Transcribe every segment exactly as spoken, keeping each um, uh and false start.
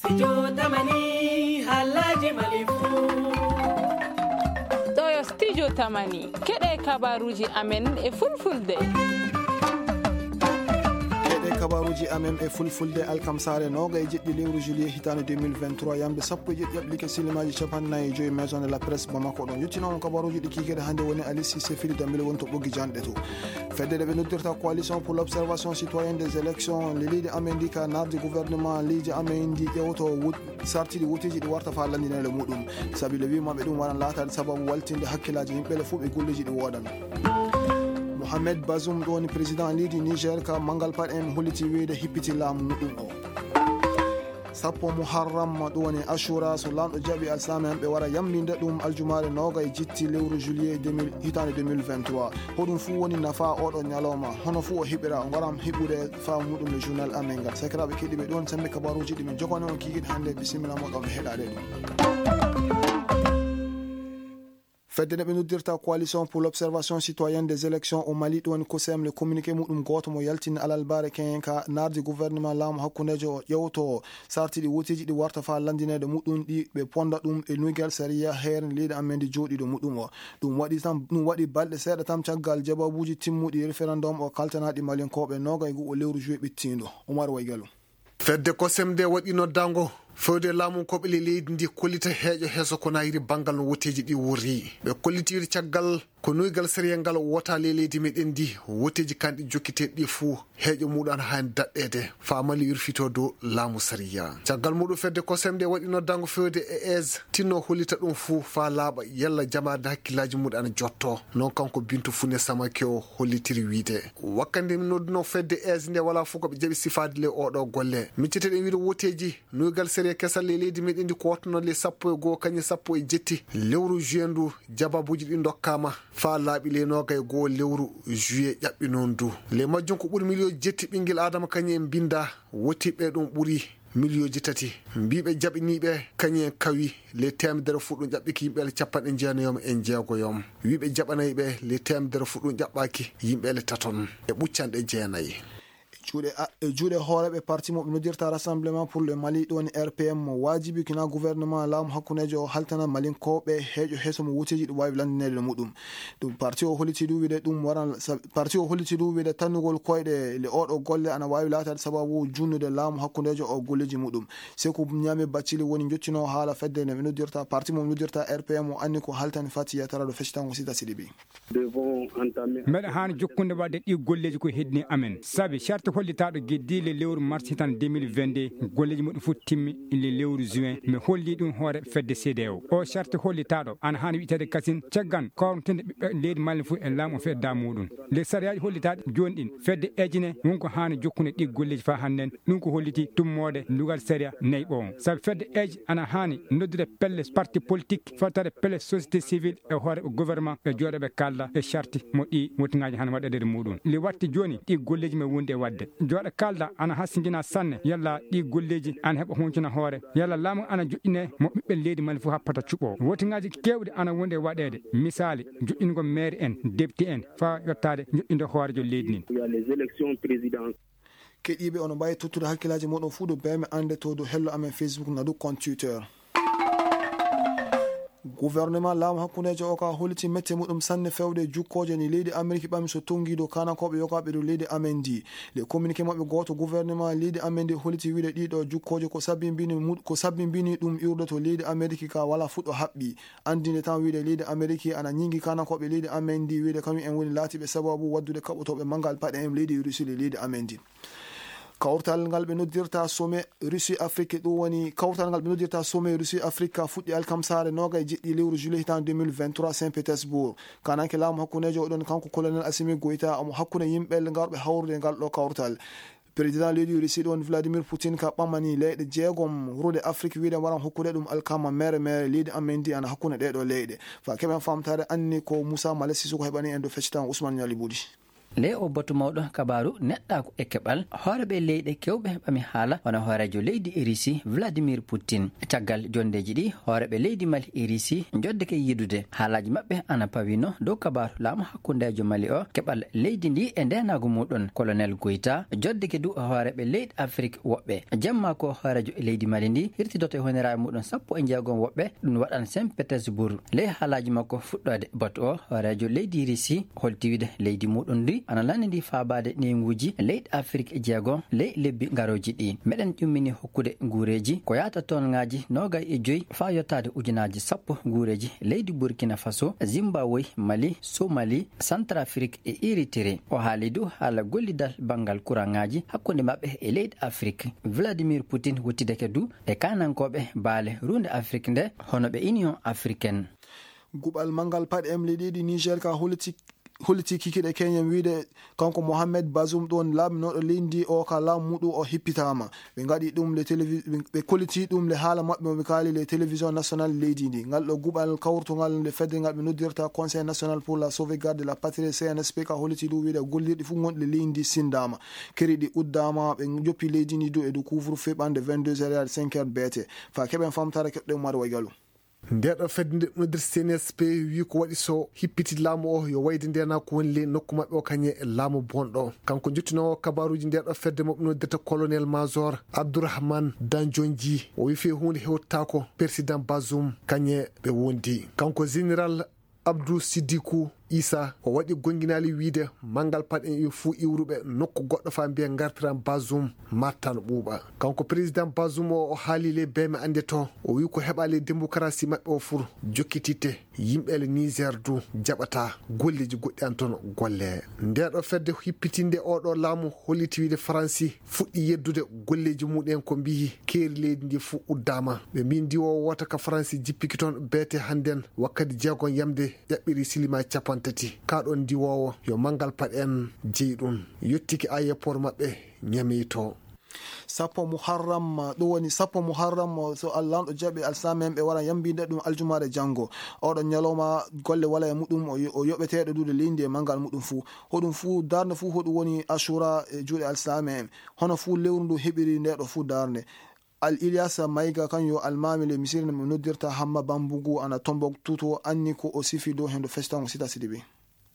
Studio Tamani, halaji Mali fu. Ɗo yo Studio Tamani, keɗe kabaruji amen e fulfulde. Keɗe kabaruji amen e fulfulde, alkamsare noga e jeɗɗi lewru juillet hitande deux mille vingt-trois, yamde sappo e jeɗɗi appliqué silimaji capannayi e joyi maison de la presse Bamako ɗon. Yettinoma kabaruji ɗi kikede hande woni Alice Sefili Dambele woni to ɓoggi janɗe to. Fedde nde ɓe noddirta Coalition pour l'Observation Citoyenne des Élections, le leydi amen ndi ka nardi gouvernement leydi amen ndi ƴewto wut-, sartiɗi wuteji ɗi warta fa landinede muɗum. Sabi le wima ɓe ɗum waran latade sababu waltinde hakkillaji yimɓe le fof ɓe golleji ɗi wodan. Mohamed Bazoum ɗo woni président leydi Niger ka mangal paɗe en holliti weyde hippiti laamu muɗum o. Sappo Muharram, ɗum woni Ashura, so Laamɗo jaɓi alsame en, ɓe wara yamlinde ɗum aljumaare noga e jitti lewru juillet deux mille, hitaande deux mille vingt-trois. Hoɗum fuu woni nafa oɗo ñalawma? Hono fuu o heɓira, o ngaram heɓude faamu muɗum e journal amen ngal. Sakiraaɓe keɗiiɓe, ɗum woni sembe kabaruuji ɗi min jokani on kiikiiɗe hannde. Bisimilla moɗon e heɗaade ɗum. Fedde nde ɓe noddirta Coalition pour l'Observation Citoyenne des Élections au Mali, ɗum woni COSEM, le communiqué muɗum gooto mo yaltini alalbaare keñen ka nardi gouvernement laamu hakkundeejo o ƴewto sarti ɗi woteeji ɗi warta faa lanndineede muɗum ɗi ɓe ponda ɗum e nuygal sariya heere leydi amen ndi jooɗiiɗo muɗum o. Ɗum waɗi tan, ɗum waɗi balɗe seeɗa tan caggal jawabuuji timmuɗi référendum o kaltanaaɗi Malinkooɓe noogay e go'o lewru juillet ɓittiindo. Umar Waygalo. Fedde COSEM nde waɗi noddaango fewde laamu koɓe le leydi ndi kollita heeƴo heeso ko nayiri banngal no woteeji ɗi worri. Ɓe kollitiri caggal ko nuygal sariya ngal wota le leydi meɗen ndi woteeji kanɗi jokkiteeɗi ɗi fuu heeƴo muɗum ana haani daɗɗeede faa Mali yurfito dow laamu sariya. Caggal muɗum fedde COSEM nde waɗi noddaango fewde e aise tinno hollita ɗum fuu faa laaɓa yalla jamaade hakkillaaji muɗum ana jotto. Noon kanko Bintu Fune Samake o hollitiri wiide. Wakkati nde min nodduno fedde aise nde walaa fof ko ɓe jaɓi sifaade le oɗo golle. Miccete ɗen wiide woteeji nuygal sariya kesal le leydi meɗen ndi ko wattuno le sappo e goo kañum sappo e jetti lewru juillet ndu jawabuuji ɗi ndokkaama faa laaɓi le noogay e goo lewru juillet ƴaɓɓi noon ndu. Le majjum ko ɓuri miliyon jetti ɓinngel Aadama kañum en mbinnda wotiiɓe ɗum ɓuri miliyooji tati. Mbiiɓe jaɓiniiɓe kañum en kawi le teemedere fuɗɗum ƴaɓɓiki yimɓe le capanɗe jeenayi e jeegoyom. Wiiɓe jaɓanayɓe le teemedere fuɗɗum ƴaɓɓaaki yimɓe le taton e ɓuccanɗe jeenayi. E juuɗe a-, e juuɗe hooreeɓe parti mo ɓe noddirta Rassemblement pour le Mali, ɗum woni R P M, mo waajibi kina gouvernement laamu hakkundeejo o haltana Malinkooɓe heeƴo heeso mo wuteeji ɗum waawi lanndineede no muɗum. Ɗum parti o holliti ɗum wiide ɗum waran sa-, parti o holliti ɗum wiide tannugol koyɗe le oɗo golle ana waawi laataade sababu junnude laamu hakkundeejo o golleeji muɗum. Seku Ñaame Baccili woni njottino haala fedde nde ɓe noddirta parti mo ɓe noddirta R P M o anni ko haltani Fatiya Tara ɗo feccitango Sita Sidibi. Mbeɗa haani jokkude waɗde ɗi golleeji ko heddini amen. Sabi, sarti hollitaaɗo geddi le lewru mars hitande deux mille vingt-deux, golleeji muɗum fof timmi le lewru juin. Mi holli ɗum hoore fedde C D A O. O sarti hollitaaɗo ana haani wi'eteede kasin caggan kawrantinde ɓiɓɓe leydi Mali fof e laamu o fedda muɗum. Le sariyaaji hollitaaɗi jooni ɗin, fedde ejine won ko haani jokkude ɗi golleeji faa hannden. Ɗum ko holliti tummoode lugal sariya nayi ɓoowo. Sabi fedde eji ana haani noddude pelle parti politique, fawtaade pelle société civile e hoore gouvernement ɓe jooɗo ɓe kaalda e sarti mo ɗi wotingaaji haani waɗeede e muɗum. Li watti jooni ɗi golleeji men wondi e waɗde. Jooɗo kaalda ana hasindina sanne yalla ɗi golleeji ana heɓa huncuna hoore, yalla laamu ana joɗɗine mo ɓiɓɓe leydi Mali fof happata cuɓoo. Wotingaaji keewɗi ana wondi e waɗeede. Misaali, joɗɗingol maire en, député en, faa yottaade joɗɗinde hooreejo leydi ndin. Keɗiiɓe, ono mbaawi tottude hakkillaaji mooɗon fuu dow beme annde to dow hello amen Facebook na dow compte Twitter. Gouvernement laamu hakkundeejo o ka holliti mette muɗum sanne fewde jukkooje ni leydi Ameriki ɓami so tonngi dow kaanankooɓe yogaaɓe dow leydi amen ndi. Le communiqué maɓɓe gooto gouvernement leydi amen ndi holliti wiide ɗiɗo jukkooje ko sabbimbini mu-, ko sabbimbini ɗum iwrude to leydi Ameriki ka wala fuɗɗo haɓɓi. Anndinde tan wiide leydi Ameriki ana ñiŋi kaanankooɓe leydi amen ndi wiide kañum en woni laatiiɓe sababu waddude kaɓotooɓe manngal paɗe en leydi Russie le leydi amen ndi. Kawtal ngal ɓe noddirta sommet Russie Afrique, ɗum woni kawtal ngal ɓe noddirta sommet Russie Afrique ka fuɗɗi alkamsaare noga e jeɗɗi lewru juillet hitande deux mille vingt-trois Saint Pétersbourg. Kananke laamu hakkundeejo oɗon kanko colonel Assimi Goïta omo hakkunde yimɓe ngarɓe hawrude ngal ɗo kawtal. Président leydi Russie ɗon Vladimir Poutine ka ɓamani leyɗe jeegom rude Afrique wiide waran hokkude ɗum alkama mere mere leydi amen ndi ana hakkunde ɗee ɗo leyɗe. Fa keɓen famtaade anni ko Moussa Malesi Sissoko heɓani en ɗo feccitan Ousmane Niali Boudy. Ley o batu mawɗo kabaaru neɗɗaaku e keɓal, hooreeɓe leyɗe kewɓe ɓami haala, wano hooreejo leydi Risi, Vladimir Putin. Caggal jonndeeji ɗi, hooreeɓe leydi Mali e Risi njoddeke yidude. Haalaaji maɓɓe ana pawino dow kabaaru laamu hakkundeejo Mali o, keɓal leydi ndi e ndeenaagu muɗum. Kolonel Goyta joddeke du hooreeɓe leyɗe Afrik woɓɓe. Jamma ko hooreejo leydi Mali ndi hirtidoto e honiraaɓe muɗum sappo e jeegom woɓɓe, ɗum waɗan Saint Petersbourg. Ley haalaaji makko fuɗɗoode batu o, hooreejo leydi Risi holti wiide leydi muɗum ndi ana lanndi ndi faabaade newnguuji leyɗe Afrik jeegom ley lebbi garooji ɗi. Meɗen ƴummini hokkude nguureeji ko yaata toon ngaaji noogay e joy faa yottaade ujunaaji sappo nguureeji leydi Burkina Faso, Zimbabwe, Mali, Somali, Centrafrique e Eritire. O haali du haala gollidal banngal kuraŋaaji hakkunde maɓɓe e leyɗe Afrik. Vladimir Putin wuttideke du e kaanankooɓe baale ruunde Afrik nde, hono ɓe Union Africaine. Guɓal manngal paɗe emli ɗiɗi Niger ka holliti, holliti kikiɗe Kenya wiide kanko Mohamed Bazoum ɗon laaminooɗo leydi o ka laamu muɗum o hippitaama. Ɓe ngaɗi ɗum le télévi-, ɓe kolliti ɗum le haala maɓɓe mo ɓe kaali le télévision nationale leydi ndi. Ngal ɗo guɓal kawrutungal nde fedde ngal ɓe noddirta Conseil National pour la Sauvegarde de la Patrie, C N S P, ka holliti ɗum wiide gollirɗi fof gonɗi le leydi ndi sindaama. Keri ɗi uddaama, ɓe joppi leydi ndi du e du couvre-feu ɓande vingt-deux heures yaade cinq heures B T. Fa keɓen famtare keɗɗo Umar Waygalu. Nde ɗo fedde nde noddirta C N S P wi ko waɗi so hippiti laamu o yo wayde ndena ko woni ley nokku maɓɓe o kañe laamu bonɗo. Kanko jottinoowo kabaruuji nde ɗo fedde mo ɓe noddirta colonel major Abdourahmane Danjonji, o wi fii huunde hewtaako président Bazoum kañe ɓe wondi. Kanko général Abdou Siddikou Issa o waɗi gonginaali wiide manngal paɗen ɓe fuu iwruɓe nokku goɗɗo faa mbiya ngartiran Bazoum martan ɓuuɓa. Kanko président Bazoum o, o haali ley beeme annde to, o wi ko heɓa ley démocratie maɓɓe o fur jokkititte. Yimɓe le Niger du jaɓata golleeji goɗɗi an toon golle. Nde ɗo fedde hippitinde o ɗo laamu holliti wiide Faransi fuɗɗi yeddude golleeji muɗen ko mbiyi keeri leydi ndi fuu uddaama. Ɓe mbiyi ndiwoowo wota ka Faransi jippiki toon beete hannden wakkati jeegom yamde ƴaɓɓiri silima capanɗe tati. Kaa ɗoon ndiwoowo yo manngal paɗe en jeyi ɗum. Yottiki aéroport maɓɓe Ñamey to. Sappo Muharram, ɗum woni sappo Muharram, so Alla lanɗo jaɓi alsaamen ɓe wara yambiinde ɗum aljumaare janngo. Oɗo ñalawma golle wala e muɗum, o yo-, o yoɓeteeɗo duude leydi e manngal muɗum fuu. Hoɗum fuu darnde fuu hoɗum woni Ashura e juuɗe alsaamen. Hono fuu lewru ndu heɓiri nde ɗo fuu darnde. Al Ilyasa Mayga kan yo almaami le misiri no mi noddirta Hamma Bambugu ana Tombouctou to anni ko o sifi dow hendo festango sita sidibi.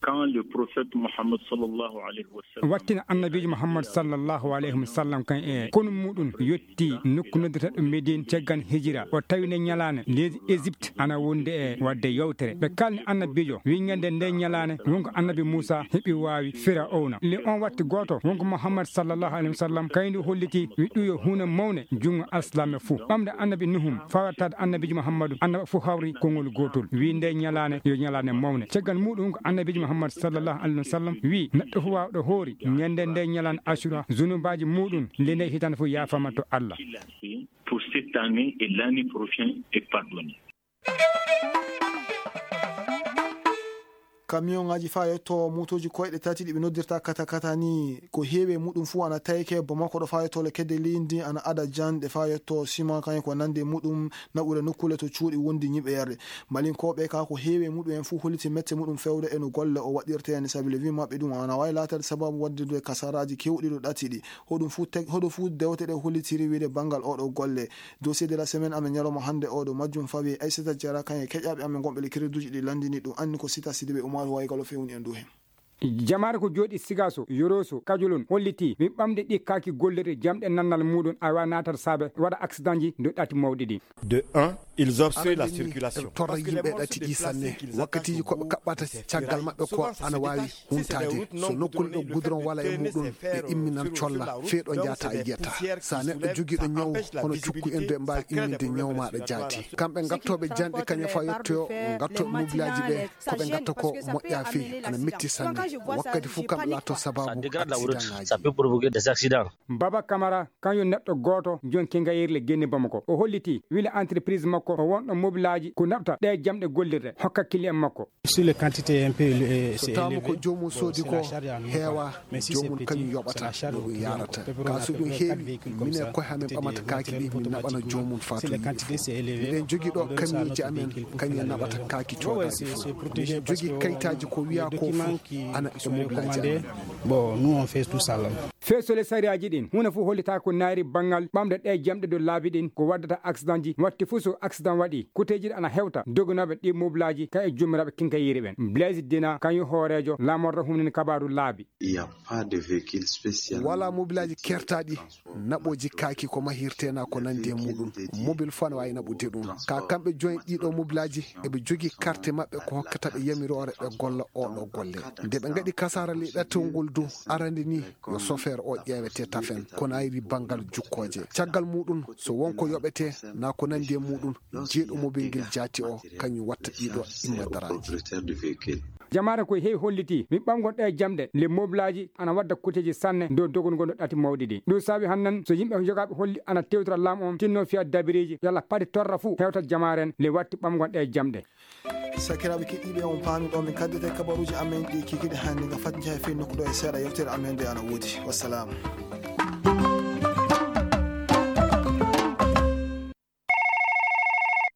Quand le prophète Muhammad sallallahu alayhi wa sallam wattina annabiijo Muhammad sallallahu alayhi wa sallam kan e konu muɗum yotti nokku noddata ɗum Medine caggal hijira, o tawi nde ñalaande leydi Égypte ana wonde e waɗde yewtere. Ɓe kalni annabiijo wi ñande nde ñalaande wonko annabi Muusa heɓi waawi Firawna. Le on watti gooto wonko Muhammad sallallahu alayhi wa sallam kayndi holliti wi ɗum yo huunde mawnde junngo alsilaame fuu. Ɓamde annabi Nuhum fawartaade annabiijo Muhammadu annaba fuu hawri konngol gootol. Wi nde ñalaande yo ñalaande mawnde. Caggal muɗum ko annabiijo Muhammad sallallahu alayhi wa sallam wi neɗɗo fuu waawɗo hoori ñande nde ñalaande Ashura zunubaaji muɗum le nde hitande fuu yaafama to Allah. Pour cette année et l'année prochaine est pardonné. Kamiyonŋaaji faa yotto mootooji koyɗe tati ɗi ɓe noddirta katakata ni, ko heewi e muɗum fuu ana tawee Bamako ɗo faa yotto le kedde leydi ana ada janɗe faa yotto siman kañum ko nande muɗum naɓude nokkuule to cuuɗi wondi ñiɓeere. Malinkooɓe ka ko heewi e muɗum en fuu holliti mette muɗum fewde e no golle o waɗirte en sabi le wi maɓɓe ɗum ana waawi laataade sababu waɗde kasaraaji kewɗi ɗo ɗati ɗi. Hoɗum fuu teg-, hoɗo fuu dewte ɗe hollitiri wiide banngal oɗo golle. Dossier de la semaine amen ñalawma hannde oɗo majjum fawi Aissata Diarra kan e keƴaaɓe amen gonɓe le créduji ɗi lanndini ɗum anni ko Sita Sidibé Umaru Waygalo fewni en dow heen. Jamaare ko jooɗi Sigaso, Yoroso, Kajolon holliti wi ɓamde ɗi kaaki gollirde jamɗe nannal muɗum awa natat saabe waɗa accident ji dow ɗati mawɗi ɗi. De un, ils obstruent la circulation. Torra yimɓe ɗati ɗi sanne. Wakkatiiji ko ɓe kaɓɓata caggal maɓɓe ko ana waawi huntaade. So nokkuure ɗo goudron wala e muɗum, ɓe imminan colla fee ɗo njahata a yiyata. So a neɗɗo jogiiɗo ñaw hono cukku en, ɓe mbaawi imminde ñaw maaɗa jaati. Kamɓe ngattooɓe janɗe kañum faa yettoyo, ngattooɓe mobilaaji ɓe, ko ɓe ngatta ko moƴƴaa fii, ana metti sanne. Wakkati fof kamɓe laato sabaabu accident ŋaaji. Ça peut provoquer des accidents. Baba Kamara, kañum neɗɗo gooto, jon kengayirle genne Bamako. O holliti, wila entreprise makko Ko o wonɗo mobilaaji ko naɓta ɗe jamɗe gollirde hokka kili en makko. Sur les quantités un peu, euh, c'est élevé. So taama ko joomum soodi ko heewa, joomum kañum yoɓata no ɗum yarata. Ka so ɗum heewi, minen koye amen ɓamata kaaki ɗi, min naɓana joomum faa to yiɗi fof. Miɗen jogii ɗo kamiyuuji amen, kañum en naɓata kaaki coodaaɗi fof. Miɗen jogii kayitaaji ko wiyaa ko fof ana e mobilaaji amen. Bon, nous on fait tout ça là. Feesole sariyaaji ɗin, huunde fof hollitaaka ko naayri banngal ɓamde ɗe jamɗe dow laabi ɗin, ko waddata accident ji, watti fof so accident waɗi, kuteeji ɗi ana hewta doganooɓe ɗi mobilaaji, kañum e joomiraaɓe kinkayeeri ɓen. Blaise Dina, kañum hooreejo laamorɗo humnini kabaaru laabi. Il y a pas de véhicule spécial. Walaa mobilaaji kertaaɗi, naɓooji kaaki ko mahirtee na ko nandi e muɗum. Mobil fof ana waawi naɓude ɗum. Ka kamɓe joyi ɗiɗo mobilaaji, eɓe jogii karte maɓɓe ko hokkata ɓe yamiroore ɓe golla oɗo golle. Nde ɓe ngaɗi kasaara ley ɗattol ngol du, arande ni yo sofeer o ƴeewete tafen, ko naayri banngal jukkooje. Caggal muɗum, so won ko yoɓete, na ko nandi e muɗum, jeeɗo mobil ngel jaati o, kañum watta ɗiɗo immadaraaji. Jamaare ko heewi holliti, mi ɓamgol ɗe jamɗe, le mobilaaji ana wadda kuteeji sanne dow dogol ngol no ɗati mawɗi ɗi. Ɗum saabi hannden, so yimɓe jogaaɓe holli ana tewtira laamu on, tinno fiya dabiriiji, yalla paɗi torra fuu, hewta jamaare en, le watti ɓamgol ɗe jamɗe. Sakiraaɓe keɗiiɓe, on paami ɗo min kaddete kabaruuji amen ɗi kikiɗe hannde, nga fat njaha fii nokku ɗo e seeɗa yewtere amen nde ana woodi. Wassalaamu.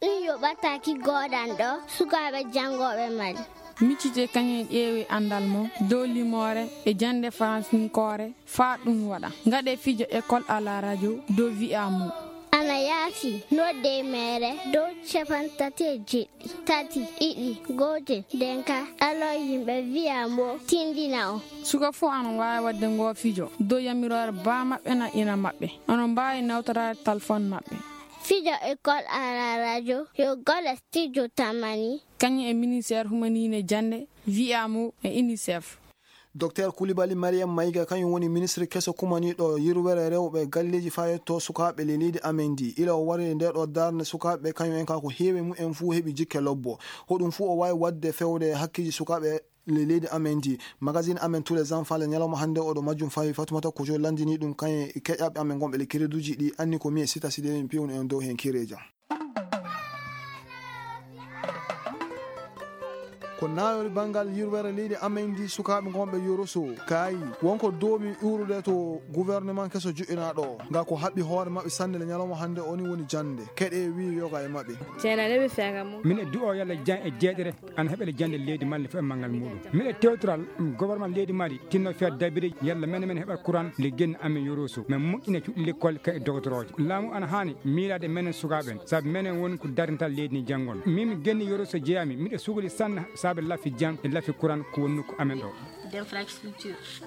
Ɗum yoɓataaki goodanɗo sukaaɓe janngooɓe Mali. Miccite kañum ƴeewi anndal mum dow limoore e jannde faransinkoore faa ɗum waɗa. Ngaɗe fijo école à la radio dow wi'a mum. Ana yaafi nodde e meere dow capantati e jeɗɗi, tati, ɗiɗi, gootel, denka, ɗalo yimɓe wi'a mbo tindina o. Suka fof ana waawi waɗde ngoo fijo dow yamiroore baa maɓɓe na ina maɓɓe. Onon mbaawi nawtoraade talfoon maɓɓe. Fijo école à la radio, yo golle studio Tamani. Kañum e ministère humaniine jannde, wi'a mo e UNICEF. Docteur Koulibaly Mariam Maïga, kañum woni ministre keso kumaniiɗo yirwere rewɓe galleeji faa yetto sukaaɓe le leydi amen ndi. Ila o wari nde ɗo darnde sukaaɓe, kañum en ka ko heewi mum en fuu heɓi jikke lobbo. Hoɗum fuu o waawi waɗde fewde hakkeeji sukaaɓe le leydi amen ndi. Magazine amen Tous les enfants le ñalawma hannde oɗo majjum fawi Fatoumata Kojo lanndini ɗum kañum e keƴaaɓe amen gonɓe le kereduuji ɗi anni ko mi e Sita Sidé min piwno en dow heen kereeja. Ko naayori banngal yirwere leydi amen ndi sukaaɓe gonɓe Yoroso kaayi wonko doomi iwrude to gouvernement keso joƴƴinaaɗo o. Nga ko haɓɓi hoore maɓɓe sanne le ñalawma hannde o ni woni jannde. Keɗe wi yoga e maɓɓe. Ceenaɗe ɓe feega mum. Min e du'o yalla jan e jeeɗere ana heɓele jannde leydi Mali fof e manngal muɗum. Min e tewtoral gouvernement leydi Mali tinno fiya dabiri yalla menen men heɓa courant le genni amen Yoroso. Men moƴƴina cuɗi lekkol ka e dogotorooje. Laamu ana haani miilaade menen sukaaɓe en, sabu menen woni ko darntal leydi ni janngon. Min mi genni Yoroso jeyaami, miɗo sugli sanne saabe lafi jan e lafi courant ko woni nokku amen ɗo.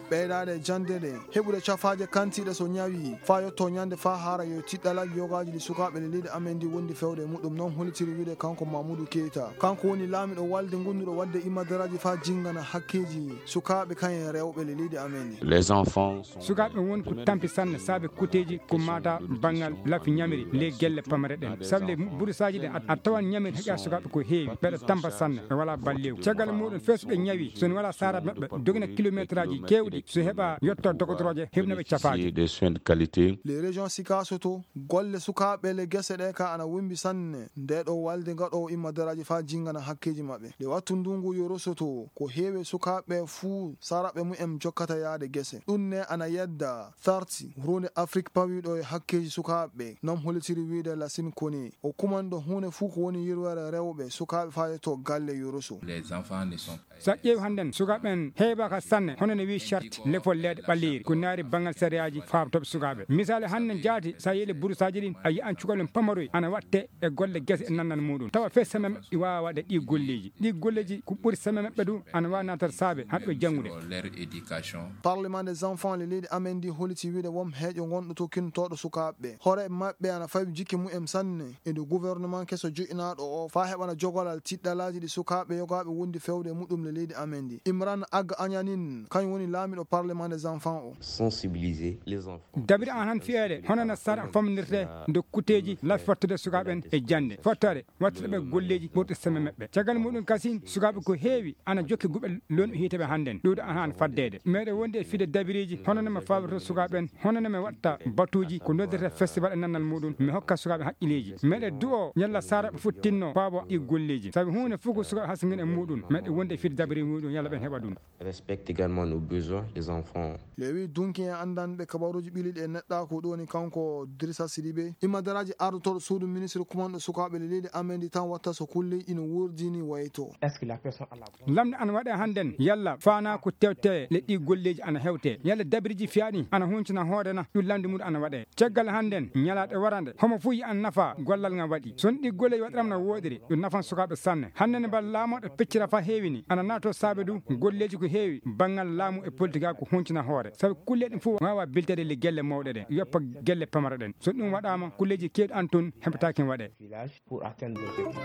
Ɓeydaade jannde ɗe, heɓude cafaaje kantiiɗe so ñawi, faa yotto ñande faa haara yo tiɗɗalaaji yogaaji ɗi sukaaɓe ɗe leydi amen ndi wondi fewde e muɗum, noon hollitiri wiide kanko Mamoudou Keita. Kanko woni laamiɗo walde ngonduɗo waɗde imadaraaji faa jinngana hakkeeji sukaaɓe kayen rewɓe ɗe leydi amen ndi. Les enfants sont Sukaaɓe won ko tampi sanne saabe kuteeji ko mata banngal lafi ñamiri ley gelle pamare ɗen. Sabu le burusaaji ɗen a, a tawan ñamiri heƴa sukaaɓe ko heewi, mbeɗa tampa sanne, ɓe walaa balleewu. Caggal muɗum, fes ɓe ñawi, so ne walaa saaraaɓe maɓɓe, dogina kilometraaji keewɗi, so heɓa yetto dogotorooje, heɓna ɓe cafaaje. Des soins de qualité. Les régions Sikasoto, golle sukaaɓe le gese ɗe ka ana wumbi sanne. Nde ɗo walde ngaɗoowo immadaraaji faa jinngana hakkeeji maɓɓe. Nde wattu ndungu Yorosoto, ko heewi sukaaɓe fuu saaraaɓe mumen jokkata yaade gese. Ɗum ne ana yedda Tharti, huunde Afrik pawiiɗo e hakkeeji sukaaɓe, nam hollitiri wiide Lasin Kone. O kumanɗo huunde fuu ko woni yirwere rewɓe sukaaɓe faa yetto galle Yoroso. Les enfants ne sont Sa ƴeewi hannden, sukaaɓe en heewaaka sanne, hono no wi'i charte lefol leyɗe ɓaleeri, ko naari banngal sariyaaji faabatooɓe sukaaɓe. Misaali hannden jaati, sa yeeli burusaaji ɗin, a yi'an cukalel pamaroy ana watte e golle gese e nannal muɗum. Tawa fes semaine ɗi waawa waɗde ɗi golleeji. Ɗi golleeji ko ɓuri semaine maɓɓe du ana waawi naatata saabe haɗɓe janngude. Leur éducation. Parlement des enfants le leydi amen ndi holliti wiide won heeƴo gonɗo to kintooɗo sukaaɓe. Hoore maɓɓe ana fawi jikke mumen sanne. E nde gouvernement keso joƴƴinaaɗo o faa heɓana jogolal tiɗɗalaaji ɗi sukaaɓe yogaaɓe wondi fewde e muɗum le leydi amen ndi. Imran Ag Yanin kañum woni laamiɗo parlement des enfants o. Sensibiliser les enfants. Dabiri an han fiyeede hono no sara famminirte nde kuteeji lafi fottude sukaaɓe en e jannde fottore wattata ɓe golleeji ɓurɗi semme maɓɓe. Caggal muɗum kasin sukaaɓe ko heewi ana jokki guɓe lonɗo hiite ɓe hannden ɗuuɗo ana han faddeede meɗe wondi e fide dabiriiji hono no mi faalorto sukaaɓe en hono no mi watta batuuji ko noddete festival e nannal muɗum mi hokka sukaaɓe haqqileeji meɗe du'o ñalla sara ɓe futtinno paabo ɗi golleeji sabi huunde fof ko sukaaɓe hasngin e muɗum meɗe wondi e fide dabiri muɗum yalla ɓen heɓa ɗum. Respecte également nos besoins des enfants. Lewi dunki en anndanɓe kabaruuji ɓiliɗi e neɗɗaaku ɗo woni kanko Dirisa Sidibe immadaraaji ardotooɗo suudu ministre kumanɗo sukaaɓe le leydi amendi tan watta so kulle ina wurdini wayto. Est-ce que la personne à la lamde ana waɗe hannden yalla faana ko tewte le ɗi golleeji ana hewte yalla dabiriji fiyaɗi ana huncina hoore na ɗum lamde mum ana waɗe caggal hannden ñalaaɗe warande homo fof yi an nafa gollal ngal waɗi son ɗi golleeji waɗiram na wooɗiri ɗum nafan sukaaɓe sanne hannden bal laamoɗo peccira fa heewini ana nato saabe du golleeji ko heewi banngal laamu e politique ko huncina hoore sabu kulle ɗum fof waawa biltede le gelle mawɗe ɗen yoppa gelle pamara ɗen so ɗum waɗaama kulleeji keewɗi an tun heɓataake waɗe.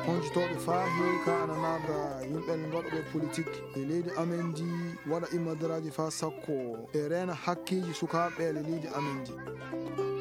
Honcitooɓe faa heewi ka ana naada yimɓe mbaɗuɓe politik e leydi amen ndi waɗa immadaraaji faa sakko e reena hakkeeji sukaaɓe e leydi amen ndi.